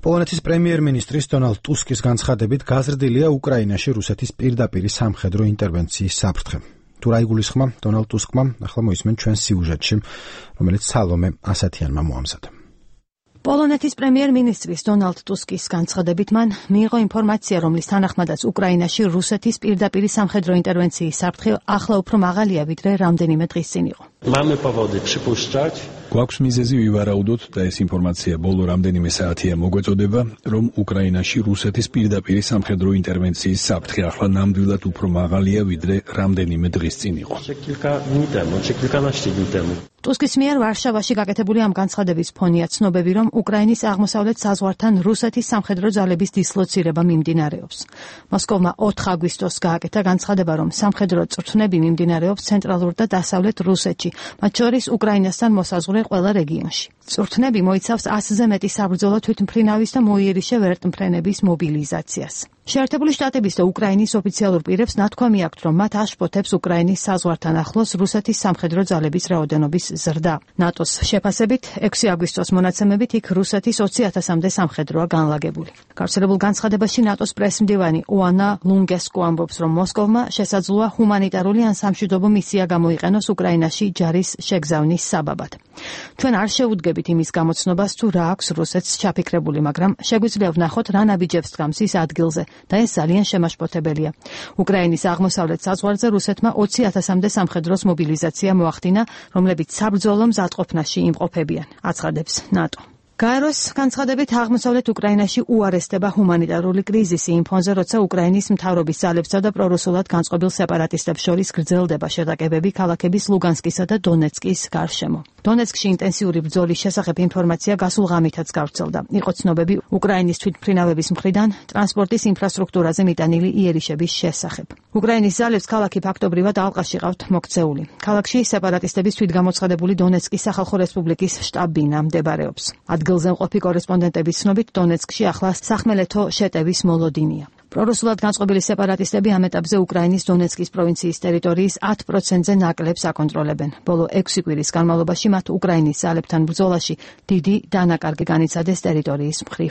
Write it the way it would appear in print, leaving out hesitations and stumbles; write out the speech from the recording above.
პოლონეთის პრემიერ-მინისტრის დონალდ ტუსკის განცხადებით გაზრდილია უკრაინაში რუსეთის პირდაპირი სამხედრო ინტერვენციის საფრთხე. თუ რა იგულისხმა დონალდ ტუსკმა, ახლა მოისმენ ჩვენ სიუჟეტში, რომელიც სალომე ასათიანმა მოამზადა. პოლონეთის პრემიერ-მინისტრის დონალდ ტუსკის განცხადებით მან მიიღო ინფორმაცია, რომლის თანახმადაც უკრაინაში რუსეთის პირდაპირი სამხედრო ინტერვენციის საფრთხე ახლა უფრო მაღალია, ვიდრე რამდენიმე დღის წინ იყო. გვაქვს მიზეზი ვივარაუდოთ და ეს ინფორმაცია ბოლო რამდენიმე საათია მოგვეწოდება, რომ უკრაინაში რუსეთის პირდაპირი სამხედრო ინტერვენციის საფრთხე ახლა ნამდვილად უფრო მაღალია, ვიდრე რამდენიმე დღის წინ იყო. ტუსკის მიერ ვარშავაში გაკეთებული ამ განცხადების ფონია ცნობები, რომ უკრაინის აღმოსავლეთ საზღვართან რუსეთის სამხედრო ძალების დისლოცირება მიმდინარეობს. მოსკოვმა 4 აგვისტოს გააკეთა განცხადება, რომ სამხედრო წვრთნები მიმდინარეობს ცენტრალურ და დასავლეთ რუსეთში, მათ შორის უკრაინასთან მოსაზღვრე ყველა რეგიონში. წვრთნები მოიცავს 100-ზე მეტი საბრძოლო თვითმფრინავის და მოიერიშე ვერტმფრენების მობილიზაციას. შეერთებული შტატების და უკრაინის ოფიციალურ პირებს ნათქვამი აქვთ, რომ მათ აშფოთებს უკრაინის საზღვართან ახლოს რუსეთის სამხედრო ძალების რაოდენობის ზრდა. ნატოს შეფასებით 6 აგვისტოს მონაცემებით იქ რუსეთის 20,000-მდე სამხედროა განლაგებული. გავრცელებულ განცხადებაში ნატოს პრესმდივანი ოანა ლუნგესკო ამბობს, რომ მოსკოვმა შესაძლოა ჰუმანიტარული ან სამშვიდობო მისია გამოიყენოს უკრაინაში ჯარის შეგზავნის საბაბად. ჩვენ არ შევუდგებით იმის გამოცნობას, თუ რა აქვს რუსეთს ჩაფიქრებული, მაგრამ შეგვიძლია ვნახოთ, რა ნაბიჯებს დგამს ის ადგილზე და ეს ძალიან შემაშფოთებელია. უკრაინის აღმოსავლეთ საზღვარზე რუსეთმა 20,000-მდე სამხედროს მობილიზაცია მოახდინა, რომლებიც საბრძოლო მზადყოფნაში იმყოფებიან, აცხადებს ნატო. გაეროს განცხადებით აღმოსავლეთ უკრაინაში უარესდება ჰუმანიტარული კრიზისი იმ ფონზე, როცა უკრაინის მთავრობის ძალებსა და პრორუსულად განწყობილ სეპარატისტებს შორის გრძელდება შეტაკებები ქალაქების ლუგანსკისა და დონეცკის გარშემო. დონეცკში ინტენსიური ბრძოლის შესახებ ინფორმაცია გასულ ღამითაც გავრცელდა. იყო ცნობები უკრაინის თვითმფრინავების მხრიდან ტრანსპორტის ინფრასტრუქტურაზე მიტანილი იერიშების შესახებ. უკრაინის ძალებს ქალაქი ფაქტობრივად ალყაში ყავთ მოქცეული. ქალაქში სეპარატისტების თვითგამოცხადებული დონეცკის სახალხო რესპუბლიკის შტაბ-ბინა მდებარეობს. ადგილზე მყოფი კორესპონდენტების ცნობით დონეცკში ახლა სახმელეთო შეტევის მოლოდინია. პრორუსულად განწყობილი სეპარატისტები ამ ეტაპზე უკრაინის დონეცკის პროვინციის ტერიტორიის 10%-ზე ნაკლებს აკონტროლებენ. ბოლო 6 კვირის განმავლობაში მათ უკრაინის ძალებთან ბრძოლაში დიდი დანაკარგი განიცადეს ტერიტორიის მხრივ.